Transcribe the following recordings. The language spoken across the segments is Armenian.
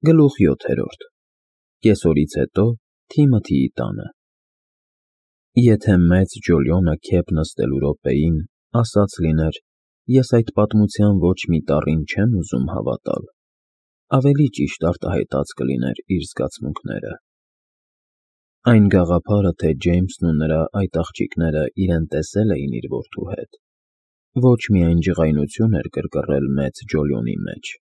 Գլուխ 7. Կեսօրից հետո Թիմոթիի տանը։ Եթե մեծ Ջոլիոնը քեփ նստելու րոպեին ասաց լիներ, ես այդ պատմության ոչ մի տառին չեմ ուզում հավատալ, ավելի ճիշտ արտահայտած կլիներ իր զգացմունքները։ Այն գաղափարը, թե Ջեյմսն ու նրա այդ աղջիկները իրեն տեսել էին իր որդու հետ, ոչ միայն ջղայնություն էր կրկռել մեծ Ջոլիոնի մեջ,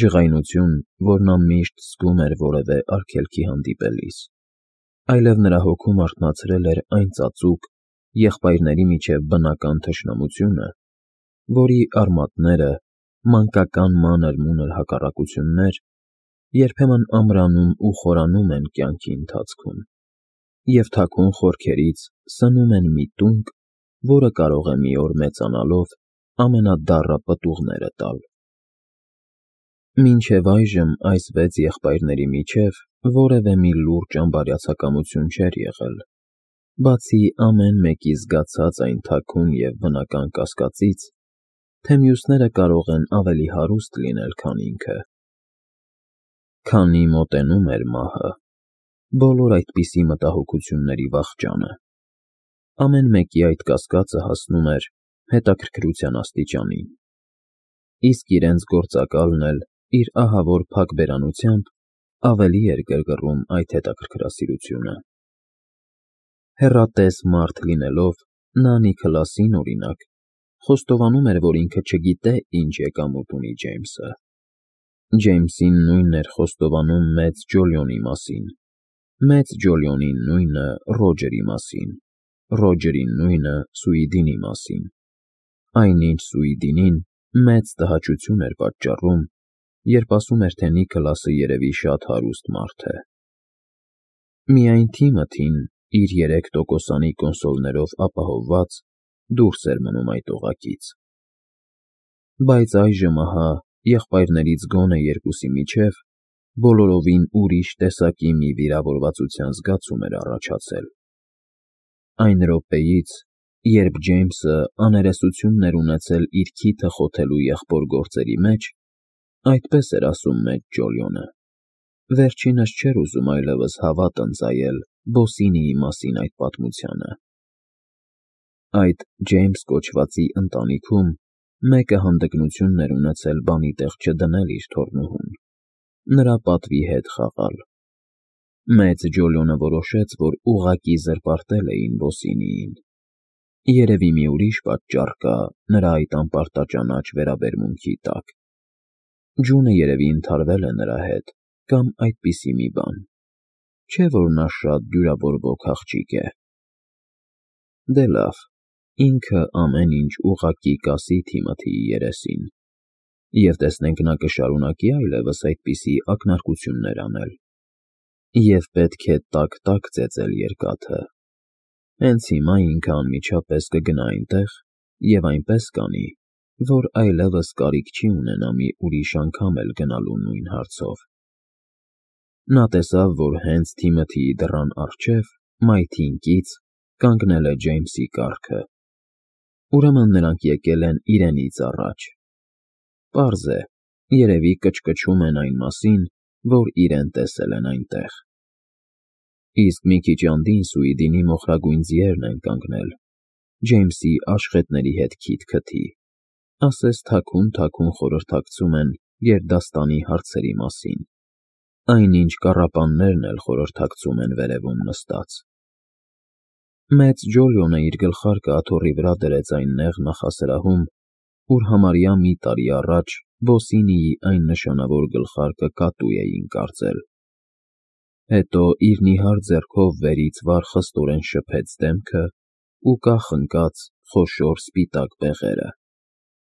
ջղայնություն, որ նա միշտ զգում էր որևէ արգելքի հանդիպելիս, այլև նրա հոգում արթնացրել էր այն ծածուկ, եղբայրների միջև բնական թշնամությունը, որի արմատները, մանկական մանր-մունր հակառակություններ, երբեմն ամրանում ու խորանում են կյանքի ընթացքում, և թաքուն խորքերից սնում են մի տունկ, որը կարող է մի օր մեծանալով ամենադառը պտուղները տալ։ Մինչև այժմ այս 6 եղբայրների միջև որևէ մի լուրջ անբարյացակամություն չէր եղել, բացի ամեն մեկի զգացած այն թաքուն և բնական կասկածից, թե մյուսները կարող են ավելի հարուստ լինել, քան ինքը։ Քանի մոտենում էր մահը, բոլոր այդպիսի մտահոգությունների վախճանը, ամեն մեկի այդ կասկածը հասնում էր հետաքրքրության աստիճանին, իսկ իրենց գործակալն էլ իր ահավոր փակ բերանությամբ ավելի էր գրգռում այդ հետաքրքրասիրությունը։ Հեռատես մարդ լինելով, նա Նիքլասին, օրինակ, խոստովանում էր, որ ինքը չգիտե ինչ եկամուտ ունի Ջեյմսը։ Ջեյմսին նույնն էր խոստովանում մեծ Ջոլիոնի մասին, մեծ Ջոլիոնին նույնը Ռոջերի մասին, Ռոջերին նույնը Սուիդինի մասին, այնինչ Սուիդինին մեծ տհաճություն էր պատճառում, երբ ասում էր, թե Նիքլասը երևի շատ հարուստ մարդ է։ Միայն Թիմոթին, իր 3%-անի կոնսոլներով ապահովված, դուրս էր մնում այդ օղակից։ Բայց այժմ ահա, եղբայրներից գոնե երկուսի միջև բոլորովին ուրիշ տեսակի մի վիրավորվածության զգացում էր առաջացել։ Այն րոպեից, երբ Ջեյմսը աներեսությունն էր ունեցել իր քիթը խոթելու եղբոր գործերի մեջ, այդպես էր ասում մեծ Ջոլիոնը, վերջինս չէր ուզում այլևս հավատ ընծայել Բոսինիի մասին այդ պատմությանը։ Այդ Ջեյմս կոչվածի ընտանիքում մեկը հանդգնությունն էր ունեցել բանի տեղ չդնել իր թոռնուհուն, նրա պատվի հետ խաղալ։ Մեծ Ջոլիոնը որոշեց, որ ուղղակի զրպարտել էին Բոսինիին։ Երևի մի ուրիշ պատճառ կա նրա այդ անպարտաճանաչ վերաբերմունքի տակ։ Ջունը երևի ընդհարվել է նրա հետ, կամ այդպիսի մի բան, չէ՞ որ նա շատ դյուրավորվող աղջիկ է։ Դե լավ, ինքը ամեն ինչ ուղղակի կասի Թիմոթիի երեսին, և տեսնենք նա կշարունակի այլևս այդպիսի ակնարկություններ անել, և պետք է տաք-տաք ծեծել երկաթը։ Հենց հիմա ինքը անմիջապես կգնա այնտեղ և այնպես կանի, որ այլևս կարիք չի ունենա մի ուրիշ անգամ էլ գնալու նույն հարցով։ Նա տեսավ, որ հենց Թիմոթիի դռան առջև, մայթին կից, կանգնել է Ջեյմսի կառքը։ Ուրեմն նրանք եկել են իրենից առաջ։ Պարզ է, երևի կչկչում են այն մասին, որ իրեն տեսել են այնտեղ։ Իսկ մի քիչ andին Սուիդինի մոխրագույն ձիերն են կանգնել, Ջեյմսի աշխատների հետ քիթ-քթի, ասես թաքուն խորհրդակցում են գերդաստանի հարցերի մասին, այնինչ կառապաններն էլ խորհրդակցում են վերևում նստած։ Մեծ Ջոլիոնը իր գլխարկը աթոռի վրա դրեց այն նեղ նախասրահում, ուր համարյա մի տարի առաջ Բոսինիի այն նշանավոր գլխարկը կատու էին կարծել։ Հետո իր նիհար ձեռքով վերից վար խստորեն շփեց դեմքը ու կախ ընկած խոշոր սպիտակ բեղերը,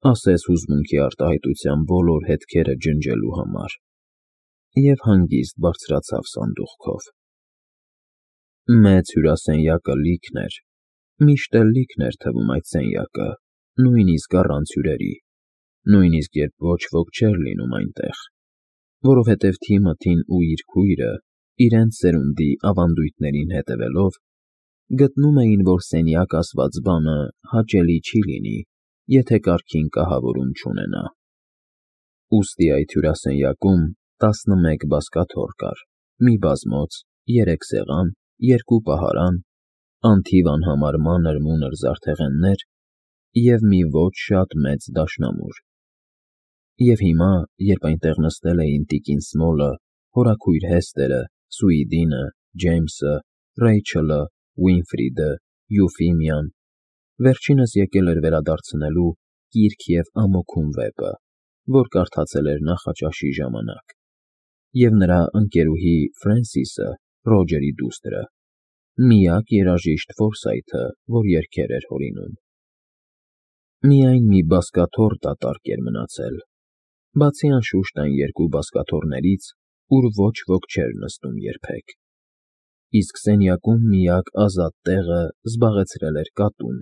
ասես հուզմունքի արտահայտության բոլոր հետքերը ջնջելու համար, և հանգիստ բարձրացավ սանդուղքով։ Մեծ հյուրասենյակը լիքն էր, միշտ էլ լիքն էր թվում այդ սենյակը, նույնիսկ առանց հյուրերի, նույնիսկ երբ ոչ ոք չէր լինում այնտեղ, որովհետև Թիմոթին ու իր քույրը, իրենց սերունդի ավանդույթներին հետևելով, գտնում էին, որ սենյակ ասված բանը հաճելի չի լինի, եթե կարգին կահավորում չունենա։ Ուստի այդ հյուրասենյակում 11 բազկաթոռ կար, մի բազմոց, 3 սեղան, 2 պահարան, անթիվ անհամար մանր-մունր զարդեղեններ և մի ոչ շատ մեծ դաշնամուր։ Եվ հիմա, երբ այնտեղ նստել էին տիկին Սմոլը, հորաքույր Հեսթերը, Սուիդինը, Ջեյմսը, Ռեյչելը, Ուինֆրիդը, Յուֆիմիան, վերջինս եկել էր վերադարձնելու կիրք և ամոքում վեպը, որ կարդացել էր նախաճաշի ժամանակ, և նրա ընկերուհի Ֆրենսիսը, Ռոջերի դուստրը, միակ երաժիշտ Ֆորսայթը, որ երգեր էր հորինում։ Միայն մի բազկաթոռ դատարկ էր մնացել, բացի անշուշտ այն 2 բազկաթոռներից, ուր ոչ ոք չէր նստում երբեք, իսկ սենյակում միակ ազատ տեղը զբաղեցրել էր կատուն,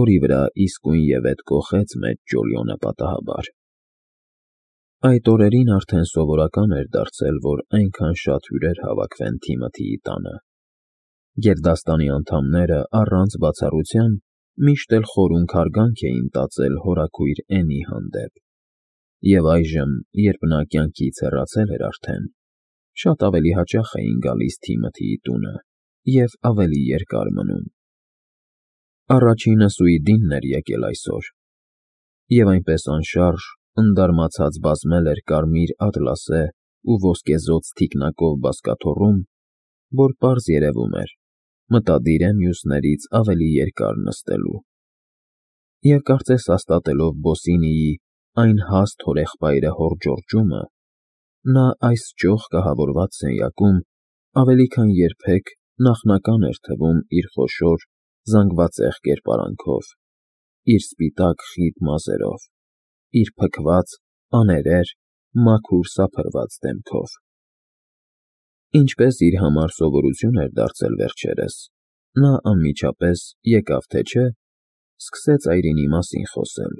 որի վրա իսկույնևեթ կոխեց մեծ Ջոլիոնը պատահաբար։ Այդ օրերին արդեն սովորական էր դարձել, որ այնքան շատ հյուրեր հավաքվեն Թիմոթիի տանը։ Գերդաստանի անդամները առանց բացառության միշտ էլ խորուն հարգանք էին տածել հորաքույր Էնի հանդեպ, և այժմ, երբ նա կյանքից հեռացել էր արդեն, շատ ավելի հաճախ էին գալիս Թիմոթիի տունը և ավելի երկար մնում։ Առաջինը Սուիդինն էր եկել այսօր, և այնպես անշարժ, ընդարմացած բազմել էր կարմիր ատլասե ու ոսկեզօծ թիկնակով բազկաթոռում, որ պարզ երևում էր, մտադիր է մյուսներից ավելի երկար նստելու։ Եվ կարծես հաստատելով Բոսինիի այն հաստ հորեղբայրը հորդժորջումը, նա այս ճոխ կահավորված սենյակում ավելի քան երբեք նախնական էր թվում իր խոշոր, զանգվածեղ կերպարանքով, իր սպիտակ խիտ մազերով, իր փքված, աներեր, մաքուր սափրված դեմքով։ Ինչպես իր համար սովորություն էր դարձել վերջերս, նա անմիջապես, եկավ թե չէ, սկսեց այրինի մասին խոսել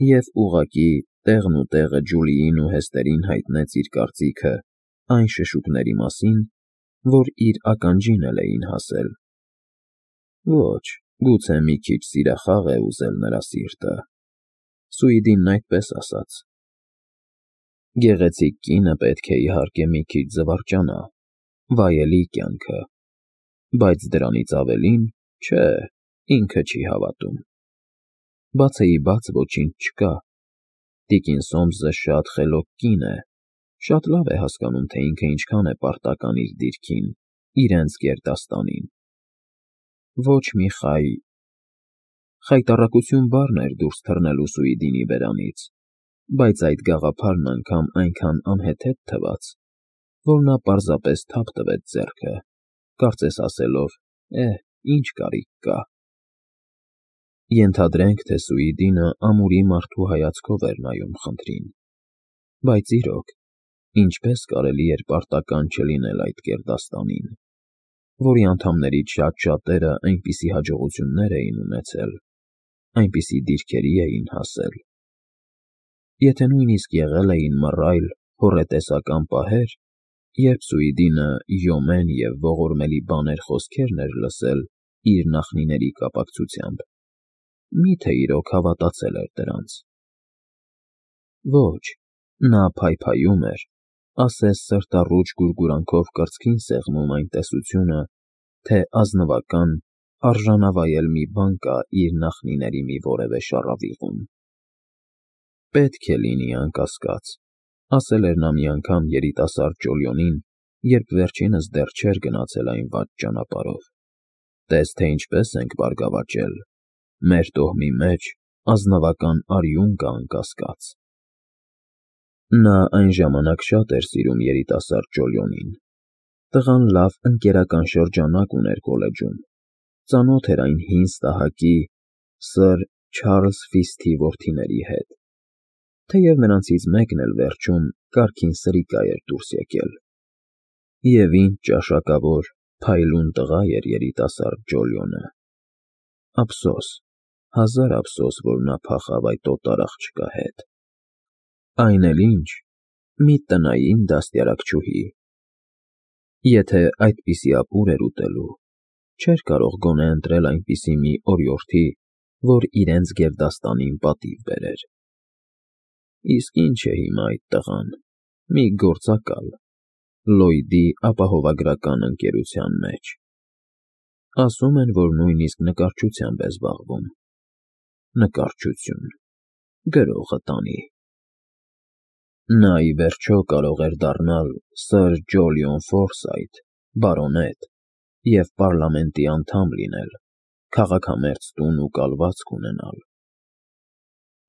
և ուղղակի տեղն ու տեղը Ջուլիին ու Հեսթերին հայտնեց իր կարծիքը այն շշուկների մասին, որ իր ականջին էլ էին հասել։ Ոչ, գուցե մի քիչ սիրախաղ է ուզել նրա սիրտը, Սուիդինն այդպես ասաց։ Գեղեցիկ կինը պետք է իհարկե մի քիչ զվարճանա, վայելի կյանքը, բայց դրանից ավելին, չէ, ինքը չի հավատում։ Բացեիբաց ոչինչ չկա։ Տիկին Սոմսը շատ խելոք կին է, շատ լավ է հասկանում, թե ինքը ինչքան է պարտական իր դիրքին, իրենց գերդաստանին։ Ոչ մի խայտառակություն բառն էր դուրս թռնելու Սուիդինի բերանից, բայց այդ գաղափարն անգամ այնքան անհեթեթ թվաց, որ նա պարզապես թափ տվեց ձեռքը, կարծես ասելով. ինչ կարիք կա։ Ենթադրենք, թե Սուիդինը ամուրի մարդու հայացքով էր նայում խնդրին, բայց իրոք, ինչպես կարելի էր պարտական չլինել այդ գերդաստանին, որի անդամներից շատ-շատերը այնպիսի հաջողություններ էին ունեցել, այնպիսի դիրքերի էին հասել։ Եթե նույնիսկ եղել էին մռայլ, հոռետեսական պահեր, երբ Սուիդինը յոմեն և ողորմելի բաներ խոսքերն էր լսել իր նախնիների կապակցությամբ, մի՞թե իրոք հավատացել էր դրանց։ Ոչ, նա փայփայում էր, ասես սրտառուչ գուրգուրանքով կրծքին սեղմում այն տեսությունը, թե ազնվական, արժանավայել մի բան կա իր նախնիների մի որևէ շառավիղում։ Պետք է լինի, անկասկած, ասել էր նա մի անգամ երիտասարդ Ջոլիոնին, երբ վերջինս դեռ չէր գնացել այն վատ ճանապարհով. տես, թե ինչպես ենք բարգավաճել, մեր տոհմի մեջ ազնվական արյուն կա, անկասկած։ Նա այն ժամանակ շատ էր սիրում երիտասարդ Ջոլիոնին։ Տղան լավ ընկերական շրջանակ ուներ կոլեջում, ծանոթ էր այն հին ստահակի սըր Չարլզ Ֆիսթի որդիների հետ, թեև նրանցից մեկն էլ վերջում կարգին սրիկա էր դուրս եկել։ Եվ ինչ ճաշակավոր, փայլուն տղա էր երիտասարդ Ջոլիոնը։ Ափսոս, հազար ափսոս, որ նա փախավ այդ օտար աղջկա հետ։ Այն էլ ինչ, մի տնային դաստիարակչուհի։ Եթե այդպիսի ապուր էր ուտելու, չէր կարող գոնե ընտրել այնպիսի մի օրիորդի, որ իրենց գերդաստանին պատիվ բերեր։ Իսկ ինչ է հիմա այդ տղան, մի գործակալ, Լոյդի ապահովագրական ընկերության մեջ։ Ասում են, որ նույնիսկ նկարչությամբ է զբաղվում։ Նկարչություն, գրողը տանի։ Նա ի վերջո կարող էր դառնալ Սըր Ջոլիոն Ֆորսայթ, բարոնետ, և պարլամենտի անդամ լինել, քաղաքամերձ տուն ու կալվածք ունենալ։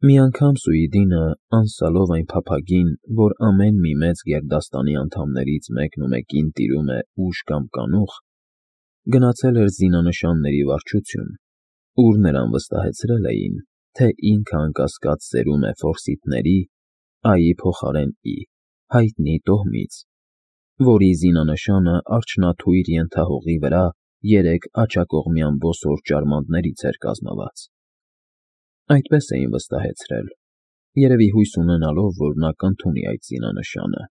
Մի անգամ Սուիդինը, անսալով այն փափագին, որ ամեն մի մեծ գերդաստանի անդամներից մեկնումեկին տիրում է ուժ կամ կանուխ, գնացել էր զինանշանների վարչություն, ուր նրան վստահեցրել էին, թե ինքը անկասկած սերում է ֆորսիտների, Այի փոխարեն Ի, հայտնի տոհմից, որի զինանշանը արջնաթույր ենթահողի վրա 3 աջակողմյան բոսոր ճարմանտներից էր կազմված։ Այդպես էին վստահեցրել, երևի հույս ունենալով, որ նա կընդունի այդ զինանշանը։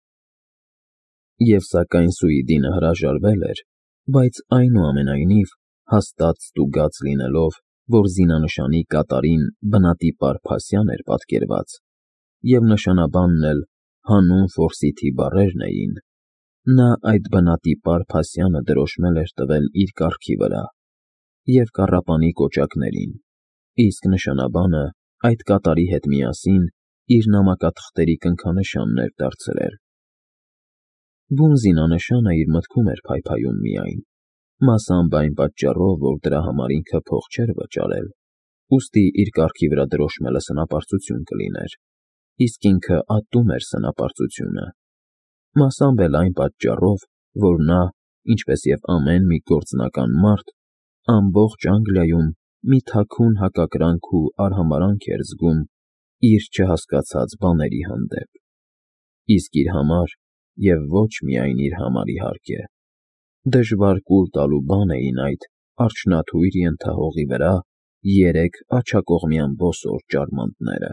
Եվ սակայն Սուիդինը հրաժարվել էր, բայց այնուամենայնիվ հաստատ ստուգած լինելով, որ զինանշանի կատարին բնատիպ Փասյան էր պատկերված, և նշանաբանն էլ հանուն Ֆորսիթի բառերն էին, նա այդ բնատիպ Փասյանը դրոշմել էր տվել իր կառքի վրա և կառապանի կոճակներին, իսկ նշանաբանը այդ կատարի հետ միասին իր նամակաթղթերի կնքանշանն էր դարձրել։ Բուն զինանշանը իր մտքում էր փայփայում միայն, մասամբ այն պատճառով, որ դրա համար ինքը փող չէր վճարել, ուստի իր կառքի վրա դրոշմելը սնապարծություն կլիներ, իսկ ինքը ատում էր սնապարծությունը, մասամբ էլ այն պատճառով, որ նա, ինչպես և ամեն մի գործնական մարդ, ամբողջ Անգլիայում մի թաքուն հակակրանք ու արհամարհանք էր զգում իր չհասկացած բաների հանդեպ, իսկ իր համար, և ոչ միայն իր համար իհարկե, դժվար կուլ տալու բան էին այդ արջնաթույր ենթահողի վրա 3 աջակողմյան բոսոր ճարմանտները։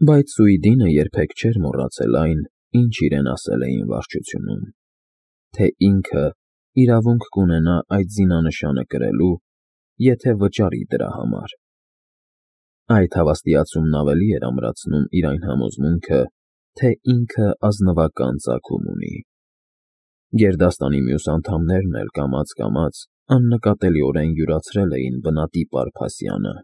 Բայց Սուիդինը երբեք չէր մոռացել այն, ինչ իրեն ասել էին վարչությունում, թե ինքը իրավունք կունենա այդ զինանշանը կրելու, եթե վճարի դրա համար։ Այդ հավաստիացումն ավելի էր ամրացնում իր այն համոզմունքը, թե ինքը ազնվական ծագում ունի։ Գերդաստանի մյուս անդամներն էլ կամաց-կամաց աննկատելիորեն յուրացրել էին բնատիպ Փասյանը,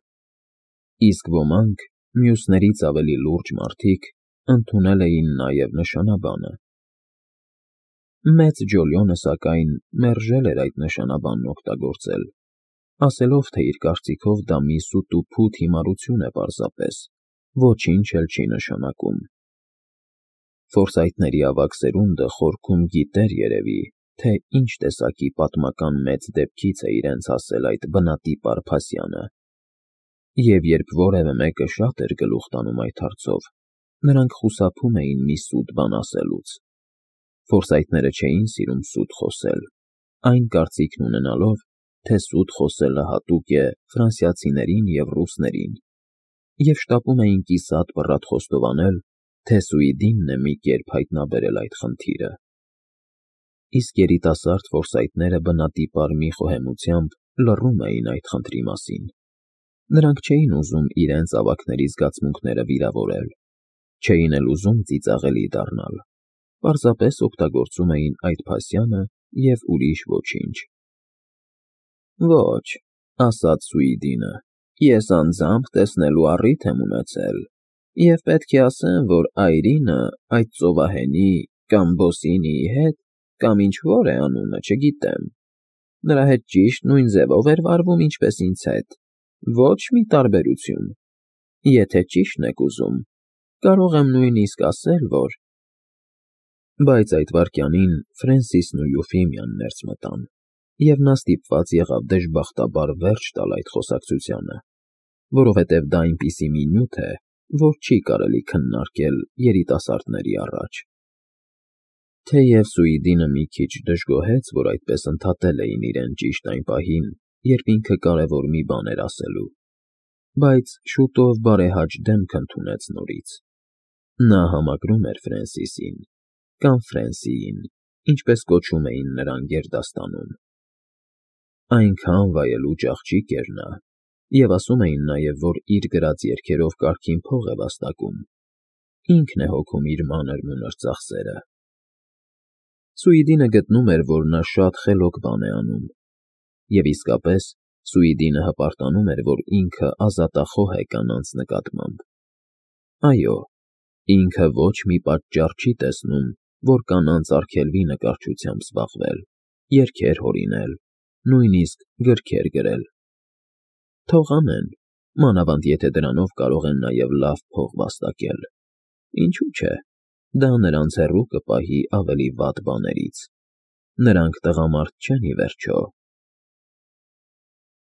իսկ ոմանք, մյուսներից ավելի լուրջ մարդիկ, ընդունել էին նաև նշանաբանը։ Մեծ Ջոլիոնը, սակայն, մերժել էր այդ նշանաբանն օգտագործել, ասելով, թե իր կարծիքով դա մի սուտ-ու-փութ հիմարություն է պարզապես, ոչինչ էլ չի նշանակում։ Ֆորսայթների ավագ սերունդը խորքում գիտեր երևի, թե ինչ տեսակի պատմական մեծ դեպքից է իրենց հասել այդ բնատիպ Փասյանը, և երբ որևէ մեկը շատ էր գլուխ տանում այդ հարցով, նրանք խուսափում էին մի սուտ բան ասելուց։ Ֆորսայթները չէին սիրում սուտ խոսել, այն կարծիքն ունենալով, թե սուտ խոսելը հատուկ է ֆրանսիացիներին և ռուսներին, և շտապում էին կիսատ պռատ խոստովանել, թե Սուիդինն է մի կերպ հայտնաբերել այդ խնդիրը։ Իսկ երիտասարդ ֆորսայթները բնատիպ մի խոհեմությամբ լռում էին այդ խնդրի մասին։ Նրանք չէին ուզում իրենց ավագների զգացմունքները վիրավորել, չէին էլ ուզում ծիծաղելի դառնալ, պարզապես օգտագործում էին այդ Փասյանը և ուրիշ ոչինչ։ Ոչ, ասաց Սուիդինը, ես անձամբ տեսնելու առիթ եմ ունեցել, և պետք է ասեմ, որ այրինը այդ ծովահենի կամ Բոսինիի հետ, կամ ինչ որ է անունը, չգիտեմ, նրա հետ ճիշտ նույն ձևով էր վարվում, ինչպես ինձ հետ, ոչ մի տարբերություն։ Եթե ճիշտն եք ուզում, կարող եմ նույնիսկ ասել, որ… Բայց այդ վայրկյանին Ֆրենսիսն ու Յուֆիմիան ներս մտան, և նա ստիպված եղավ դժբախտաբար վերջ տալ այդ խոսակցությանը, որովհետև դա այնպիսի մի նյութ է, որ չի կարելի քննարկել երիտասարդների առաջ։ Թեև Սուիդինը մի քիչ դժգոհեց, որ այդպես ընդհատել էին իրեն ճիշտ այն պահին, երբ ինքը կարևոր մի բան էր ասելու, բայց շուտով բարեհաճ դեմք ընդունեց նորից։ Նա համակրում էր Ֆրենսիսին, կամ Ֆրենսիին, ինչպես կոչում էին նրան գերդաստանում։ Այնքան վայելուչ աղջիկ էր նա, և ասում էին նաև, որ իր գրած երգերով կարգին փող է վաստակում, ինքն է հոգում իր մանր-մունր ծախսերը։ Սուիդինը գտնում էր, որ նա շատ խելոք բան է անում, և իսկապես Սուիդինը հպարտանում էր, որ ինքը ազատախոհ է կանանց նկատմամբ։ Այո, ինքը ոչ մի պատճառ չի տեսնում, որ կանանց արգելվի նկարչությամբ զբաղվել, երգեր հորինել, նույնիսկ գրքեր գրել։ Թող անեն, մանավանդ եթե դրանով կարող են նաև լավ փող վաստակել։ Ինչու՞ չէ, դա նրանց հեռու կպահի ավելի վատ բաներից։ Նրանք տղամարդ չեն, ի վերջո։